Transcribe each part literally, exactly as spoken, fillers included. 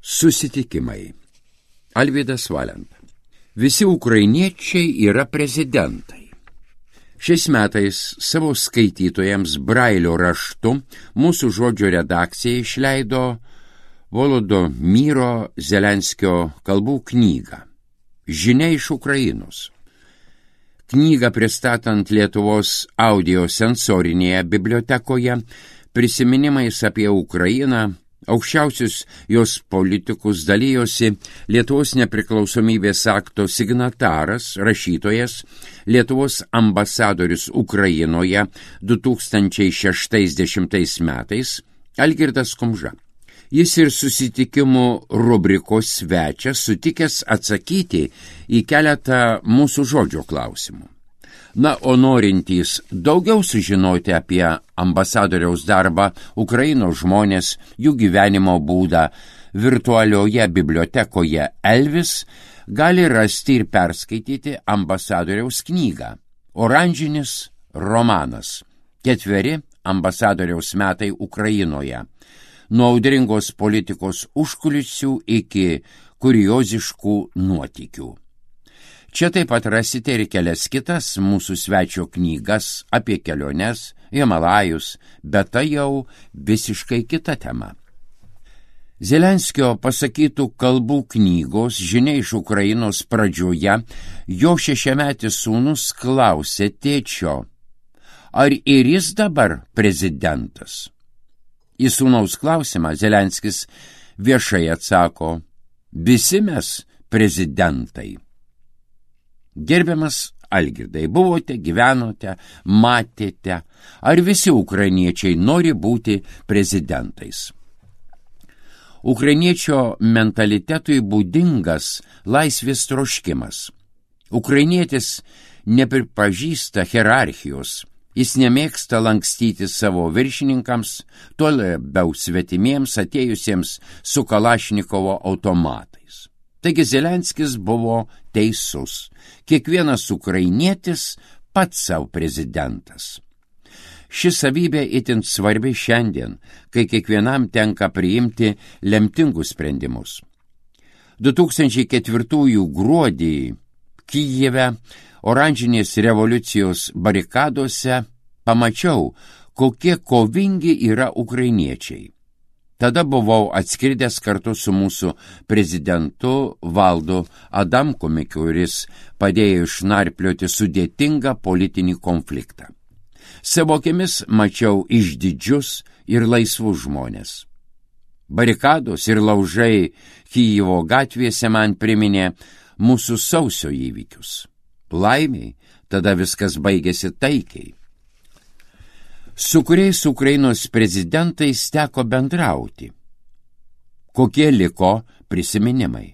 Susitikimai. Alvydas Valenta. Visi ukrainiečiai yra prezidentai. Šiais metais savo skaitytojams brailio raštu mūsų žodžio redakcija išleido Volodymyro Zelenskio kalbų knygą Žinia iš Ukrainos. Knygą pristatant Lietuvos audiosensorinėje bibliotekoje prisiminimais apie Ukrainą, aukščiausius jos politikus dalijosi Lietuvos nepriklausomybės akto signataras, rašytojas, Lietuvos ambasadorius Ukrainoje du tūkstančiai šeštais metais Algirdas Kumža. Jis ir susitikimų rubrikos svečias sutikęs atsakyti į keletą mūsų žodžio klausimų. Na, o norintys daugiau sužinoti apie ambasadoriaus darbą, Ukrainos žmonės, jų gyvenimo būdą virtualioje bibliotekoje Elvis, gali rasti ir perskaityti ambasadoriaus knygą Oranžinis romanas. Ketveri ambasadoriaus metai Ukrainoje. Nuo audringos politikos užkulisių iki kurioziškų nuotykių. Čia taip pat rasite ir kelias kitas mūsų svečio knygas apie keliones, Himalajus, bet tai jau visiškai kita tema. Zelenskio pasakytų kalbų knygos Žinia iš Ukrainos pradžioje jo šešiametis sūnus klausė tėčio, ar ir jis dabar prezidentas? Į sūnaus klausimą Zelenskis viešai atsako, visi mes prezidentai. Gerbiamas Algirdai, buvote, gyvenote, matėte, ar visi ukrainiečiai nori būti prezidentais? Ukrainiečio mentalitetui būdingas laisvės troškimas. Ukrainietis nepripažįsta hierarchijos, jis nemėgsta lankstyti savo viršininkams, tuo labiau svetimiems atėjusiems su Kalašnikovo automatais. Taigi Zelenskis buvo teisus. Kiekvienas ukrainietis pats savo prezidentas. Ši savybė itin svarbi šiandien, kai kiekvienam tenka priimti lemtingus sprendimus. du tūkstančiai ketvirtųjų gruodį Kijeve oranžinės revoliucijos barikadose pamačiau, kokie kovingi yra ukrainiečiai. Tada buvau atskridęs kartu su mūsų prezidentu Valdu Adamkumi, kuris padėjo išnarplioti sudėtingą politinį konfliktą. Savo akimis mačiau išdidžius ir laisvus žmonės. Barikados ir laužai Kijevo gatvėse man priminė mūsų sausio įvykius. Laimiai, tada viskas baigėsi taikiai. Su kuriais Ukrainos prezidentais teko bendrauti? Kokie liko prisiminimai?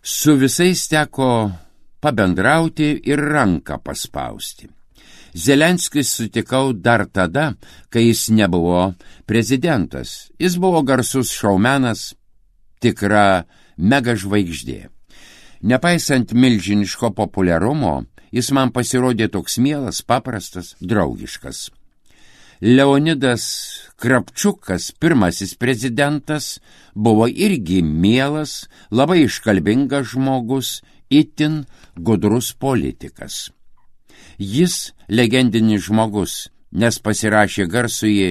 Su visais teko pabendrauti ir ranką paspausti. Zelenskis sutikau dar tada, kai jis nebuvo prezidentas. Jis buvo garsus šaumenas, tikra mega žvaigždė. Nepaisant milžiniško populiarumo, jis man pasirodė toks mielas, paprastas, draugiškas. Leonidas Kravčiukas, pirmasis prezidentas, buvo irgi mielas, labai iškalbingas žmogus, itin gudrus politikas. Jis legendinis žmogus, nes pasirašė garsųjį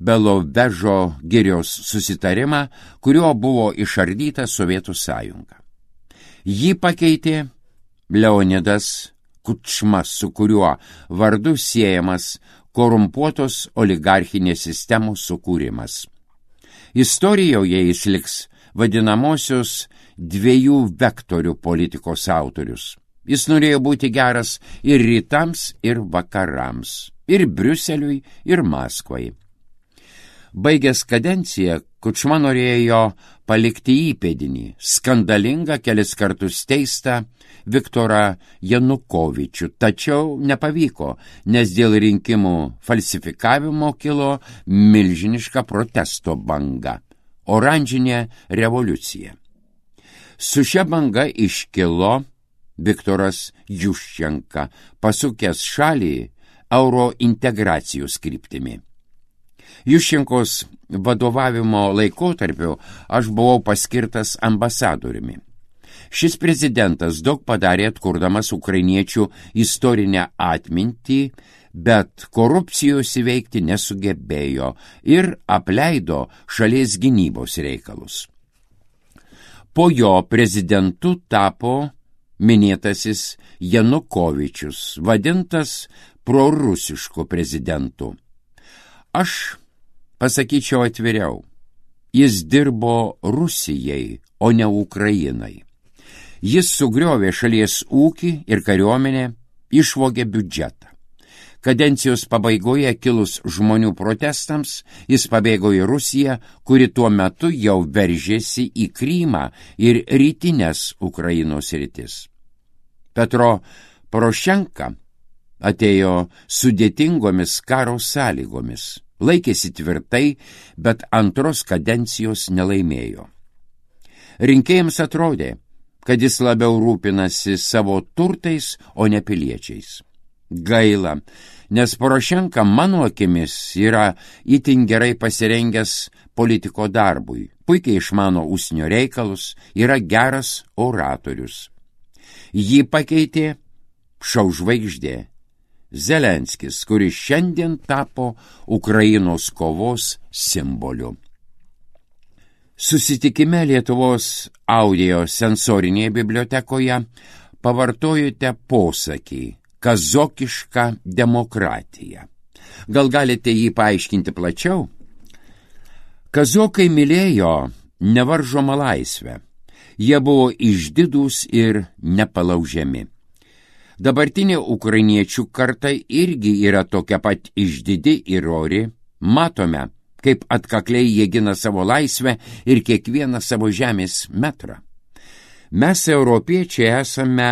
Belovežo girios susitarimą, kuriuo buvo išardyta Sovietų sąjunga. Jį pakeitė Leonidas Kučma, su kuriuo vardu siejamas korumpuotos oligarchinės sistemos sukūrimas. Istorijoje jis liks vadinamosios dviejų vektorių politikos autorius. Jis norėjo būti geras ir rytams, ir vakarams, ir Briuseliui, ir Maskvai. Baigęs kadenciją, Kučma norėjo palikti įpėdinį, skandalingą kelis kartus teistą Viktorą Janukovičių, tačiau nepavyko, nes dėl rinkimų falsifikavimo kilo milžiniška protesto banga – oranžinė revoliucija. Su šia banga iškilo Viktoras Juščenka, pasukęs šalį eurointegracijos kryptimi. Juščenkos vadovavimo laikotarpiu aš buvau paskirtas ambasadoriumi. Šis prezidentas daug padarė atkurdamas ukrainiečių istorinę atmintį, bet korupcijos įveikti nesugebėjo ir apleido šalies gynybos reikalus. Po jo prezidentu tapo minėtasis Janukovičius, vadintas prorusišku prezidentu. Aš pasakyčiau atviriau, jis dirbo Rusijai, o ne Ukrainai. Jis sugriovė šalies ūkį ir kariuomenę, išvogė biudžetą. Kadencijos pabaigoje kilus žmonių protestams, jis pabėgo į Rusiją, kuri tuo metu jau veržėsi į Krymą ir rytinės Ukrainos rytis. Petro Porošenka atėjo sudėtingomis karo sąlygomis, laikėsi tvirtai, bet antros kadencijos nelaimėjo. Rinkėjams atrodė, kad jis labiau rūpinasi savo turtais, o ne piliečiais. Gaila, nes Porošenka mano akimis yra itin gerai pasirengęs politiko darbui, puikiai išmano užsienio reikalus, yra geras oratorius. Jį pakeitė šou žvaigždė Zelenskis, kuris šiandien tapo Ukrainos kovos simboliu. Susitikime Lietuvos audio sensorinėje bibliotekoje pavartojote posakį kazokiška demokratija. Gal galite jį paaiškinti plačiau? Kazokai mylėjo nevaržomą laisvę. Jie buvo išdidūs ir nepalaužiami. Dabartinė ukrainiečių karta irgi yra tokia pat išdidi ir ori. Matome, kaip atkakliai jie gina savo laisvę ir kiekvieną savo žemės metrą. Mes, europiečiai, esame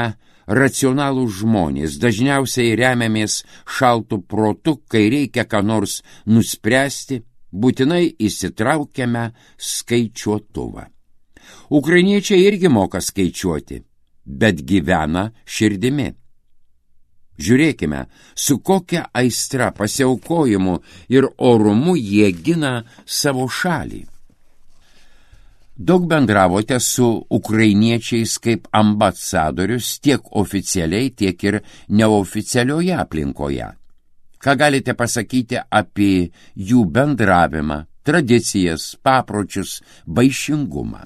racionalūs žmonės, dažniausiai remiamės šaltų protu, kai reikia ką nors nuspręsti, būtinai įsitraukiame skaičiuotuvą. Ukrainiečiai irgi moka skaičiuoti, bet gyvena širdimi. Žiūrėkime, su kokia aistra, pasiaukojimu ir orumu jie gina savo šalį. Daug bendravote su ukrainiečiais kaip ambasadorius tiek oficialiai, tiek ir neoficialioje aplinkoje. Ką galite pasakyti apie jų bendravimą, tradicijas, papročius, vaišingumą?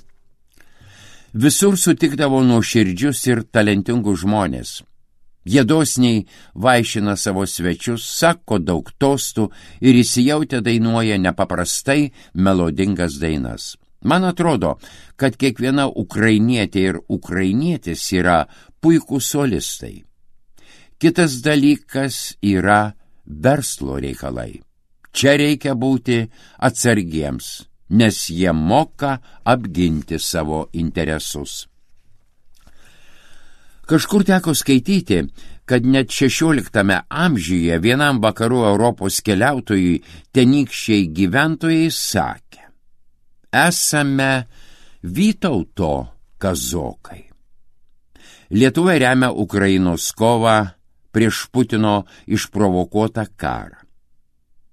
Visur sutikdavo nuoširdžius ir talentingus žmonės. Jie dosniai vaišina savo svečius, sako daug tostų ir įsijautę dainuoja nepaprastai melodingas dainas. Man atrodo, kad kiekviena ukrainietė ir ukrainietis yra puikūs solistai. Kitas dalykas yra verslo reikalai. Čia reikia būti atsargiems, nes jie moka apginti savo interesus. Kažkur teko skaityti, kad net šešioliktame amžiuje vienam vakarų Europos keliautojui tenykščiai gyventojai sakė: esame Vytauto kazokai. Lietuva remia Ukrainos kovą prieš Putino išprovokuotą karą.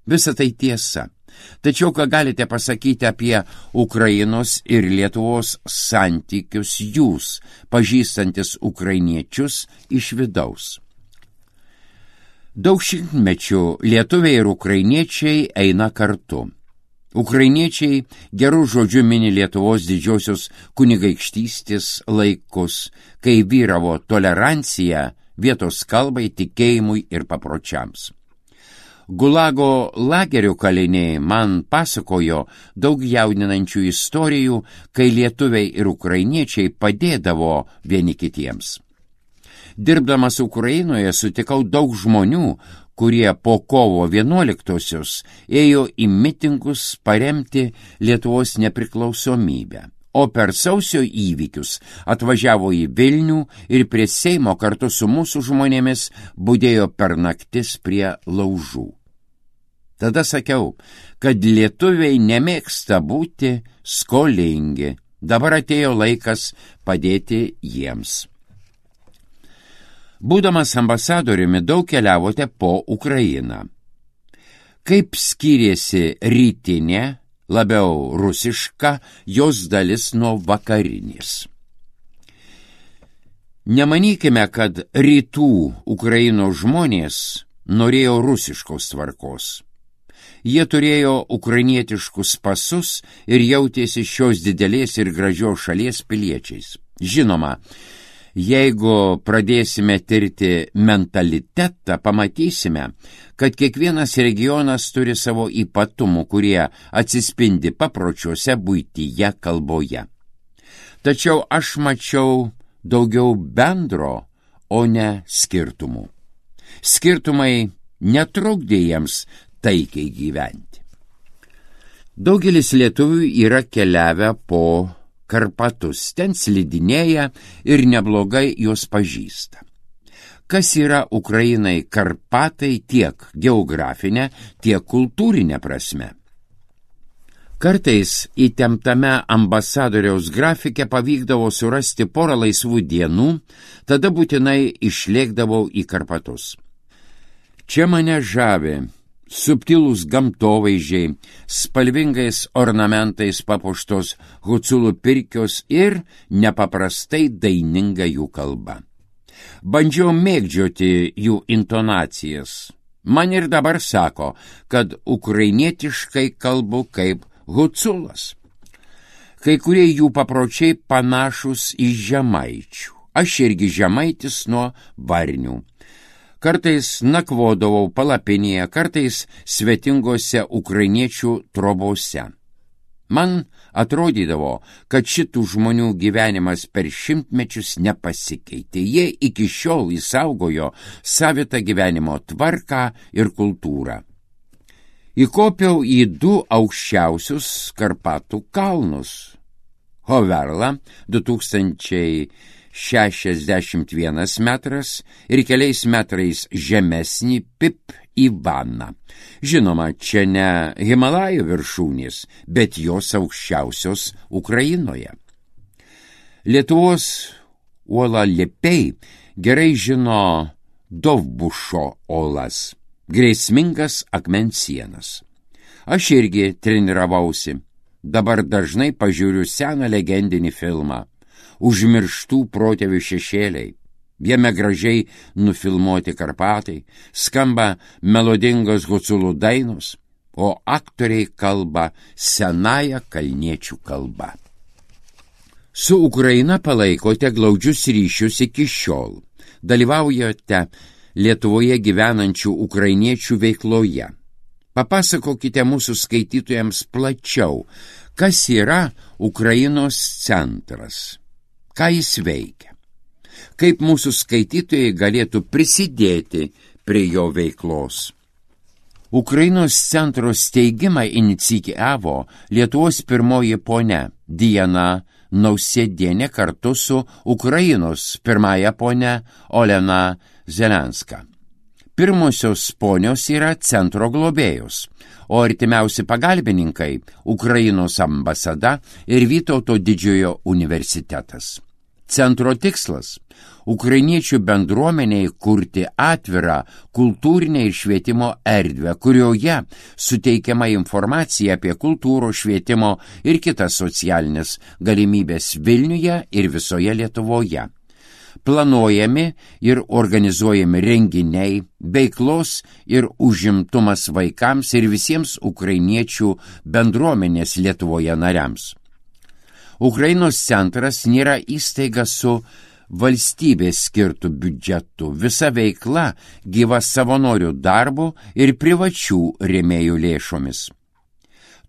Visa tai tiesa. Tačiau ką galite pasakyti apie Ukrainos ir Lietuvos santykius jūs, pažįstantis ukrainiečius iš vidaus? Daug šimtmečių lietuviai ir ukrainiečiai eina kartu. Ukrainiečiai gerų žodžių mini Lietuvos didžiosios kunigaikštystės laikus, kai vyravo tolerancija vietos kalbai, tikėjimui ir papročiams. Gulago lagerio kaliniai man pasakojo daug jaudinančių istorijų, kai lietuviai ir ukrainiečiai padėdavo vieni kitiems. Dirbdamas Ukrainoje sutikau daug žmonių, kurie po kovo vienuoliktosios ėjo į mitingus paremti Lietuvos nepriklausomybę, o per sausio įvykius atvažiavo į Vilnių ir prie Seimo kartu su mūsų žmonėmis budėjo per naktis prie laužų. Tada sakiau, kad lietuviai nemėgsta būti skolingi. Dabar atėjo laikas padėti jiems. Būdamas ambasadoriumi daug keliavote po Ukrainą. Kaip skyrėsi rytinė labiau rusiška jos dalis nuo vakarinės. Nemanykime, kad rytų Ukrainos žmonės norėjo rusiškos tvarkos. Jie turėjo ukrainietiškus pasus ir jautėsi šios didelės ir gražios šalies piliečiais. Žinoma, jeigu pradėsime tirti mentalitetą, pamatysime, kad kiekvienas regionas turi savo ypatumų, kurie atsispindi papročiuose, buityje, kalboje. Tačiau aš mačiau daugiau bendro, o ne skirtumų. Skirtumai netrukdė jiems taikiai gyventi. Daugelis lietuvių yra keliavę po Karpatus, ten slidinėja ir neblogai juos pažįsta. Kas yra Ukrainai Karpatai tiek geografinė, tiek kultūrinė prasme? Kartais įtemptame ambasadoriaus grafike pavykdavo surasti porą laisvų dienų, tada būtinai išlėkdavau į Karpatus. Čia mane žavi subtilūs gamtovaizdžiai, spalvingais ornamentais papuoštos Huculų pirkios ir nepaprastai daininga jų kalba. Bandžiau mėgdžioti jų intonacijas. Man ir dabar sako, kad ukrainietiškai kalbu kaip Huculas. Kai kurie jų papročiai panašus į žemaičių. Aš irgi žemaitis nuo Varnių. Kartais nakvodavau palapinėje, kartais svetingose ukrainiečių trobose. Man atrodydavo, kad šitų žmonių gyvenimas per šimtmečius nepasikeitė. Jie iki šiol įsaugojo savitą gyvenimo tvarką ir kultūrą. Įkopiau į du aukščiausius Karpatų kalnus. Hoverla du tūkstančiai šešiasdešimt vienas metras ir keliais metrais žemesnį Pip Ivaną. Žinoma, čia ne Himalajų viršūnės, bet jos aukščiausios Ukrainoje. Lietuvos uolaliepiai gerai žino Dovbušo olas, grėsmingas akmens sienas. Aš irgi treniravausi. Dabar dažnai pažiūriu seną legendinį filmą Užmirštų protėvių šešėliai. Jame gražiai nufilmuoti Karpatai, skamba melodingos Huculų dainos, o aktoriai kalba senąją kalniečių kalbą. Su Ukraina palaikote glaudžius ryšius iki šiol. Dalyvaujate Lietuvoje gyvenančių ukrainiečių veikloje. Papasakokite mūsų skaitytojams plačiau, kas yra Ukrainos centras. Ką jis veikia? Kaip mūsų skaitytojai galėtų prisidėti prie jo veiklos? Ukrainos centro steigimą inicijavo Lietuvos pirmoji ponia Diana Nausėdienė kartu su Ukrainos pirmąja ponia Olena Zelenska. Pirmosios ponios yra centro globėjos, o artimiausi pagalbininkai Ukrainos ambasada ir Vytauto didžiojo universitetas. Centro tikslas – ukrainiečių bendruomeniai kurti atvirą kultūrinę ir švietimo erdvę, kurioje suteikiama informacija apie kultūros, švietimo ir kitas socialinės galimybės Vilniuje ir visoje Lietuvoje. Planuojami ir organizuojami renginiai, veiklos ir užimtumas vaikams ir visiems ukrainiečių bendruomenės Lietuvoje nariams. Ukrainos centras nėra įstaiga su valstybės skirtų biudžetų, visa veikla gyva savanorių darbo ir privačių rėmėjų lėšomis.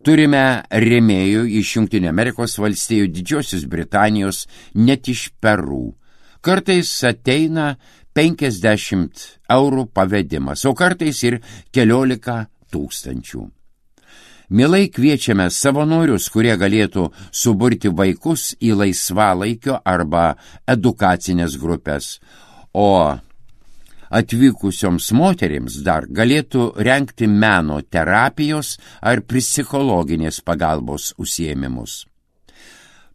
Turime rėmėjų iš Jungtinių Amerikos valstijų, Didžiosios Britanijos, net iš Peru. Kartais ateina penkiasdešimt eurų pavedimas, o kartais ir keliolika tūkstančių. Mielai kviečiame savanorius, kurie galėtų suburti vaikus į laisvalaikio arba edukacinės grupės, o atvykusioms moterims dar galėtų rengti meno terapijos ar psichologinės pagalbos užsiėmimus.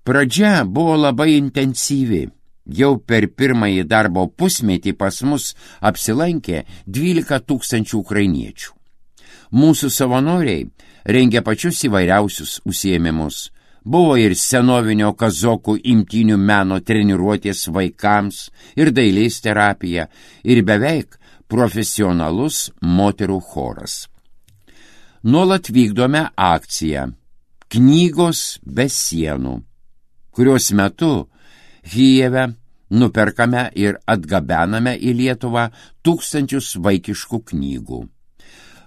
Pradžia buvo labai intensyvi. Jau per pirmąjį darbo pusmetį pas mus apsilankė dvylika tūkstančių ukrainiečių. Mūsų savanoriai rengia pačius įvairiausius užsiėmimus. Buvo ir senovinio kazokų imtynių meno treniruotės vaikams, ir dailės terapija, ir beveik profesionalus moterų choras. Nuolat vykdome akciją Knygos be sienų, kurios metu Kijeve nuperkame ir atgabename į Lietuvą tūkstančius vaikiškų knygų.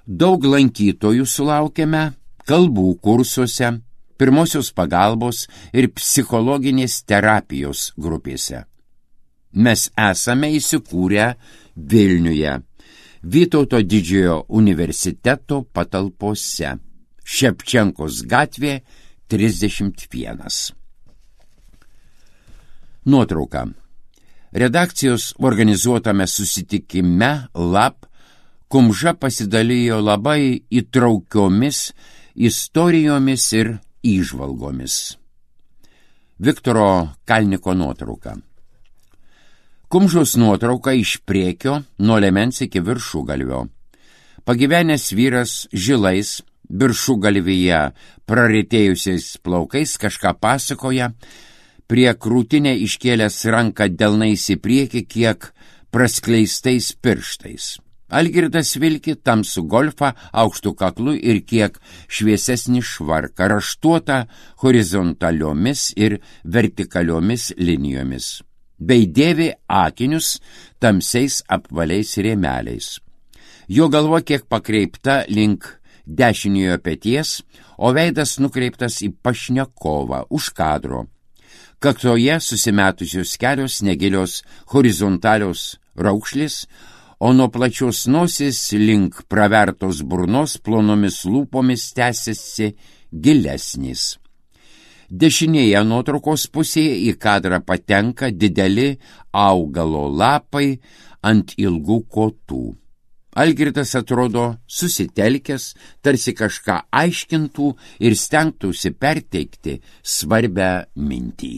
Daug lankytojų sulaukiame kalbų kursuose, pirmosios pagalbos ir psichologinės terapijos grupėse. Mes esame įsikūrę Vilniuje, Vytauto didžiojo universiteto patalpose, Ševčenkos gatvė trisdešimt vienas. Nuotrauka. Redakcijos organizuotame susitikime Lab Kumža pasidalijo labai įtraukiomis istorijomis ir įžvalgomis. Viktoro Kalniko nuotrauka. Kumžos nuotrauka iš priekio nuo liemens iki viršugalvio. Pagyvenęs vyras žilais viršugalvyje praretėjusiais plaukais kažką pasakoja, prie krūtinę iškėlęs ranką delnais į priekį kiek praskleistais pirštais. Algirdas vilki tamsų golfą aukštų kaklų ir kiek šviesesnį švarką, raštuotą horizontaliomis ir vertikaliomis linijomis, bei dėvi akinius tamsiais apvaliais rėmeliais. Jo galva kiek pakreipta link dešiniojo peties, o veidas nukreiptas į pašnekovą už kadro. Kaktoje susimetusios kelios negilios horizontalios raukšlės, o nuo plačios nosis link pravertos burnos plonomis lūpomis tęsiasi gilesnis. Dešinėje nuotraukos pusėje į kadrą patenka dideli augalo lapai ant ilgų kotų. Algirdas atrodo susitelkęs, tarsi kažką aiškintų ir stengtųsi perteikti svarbią mintį.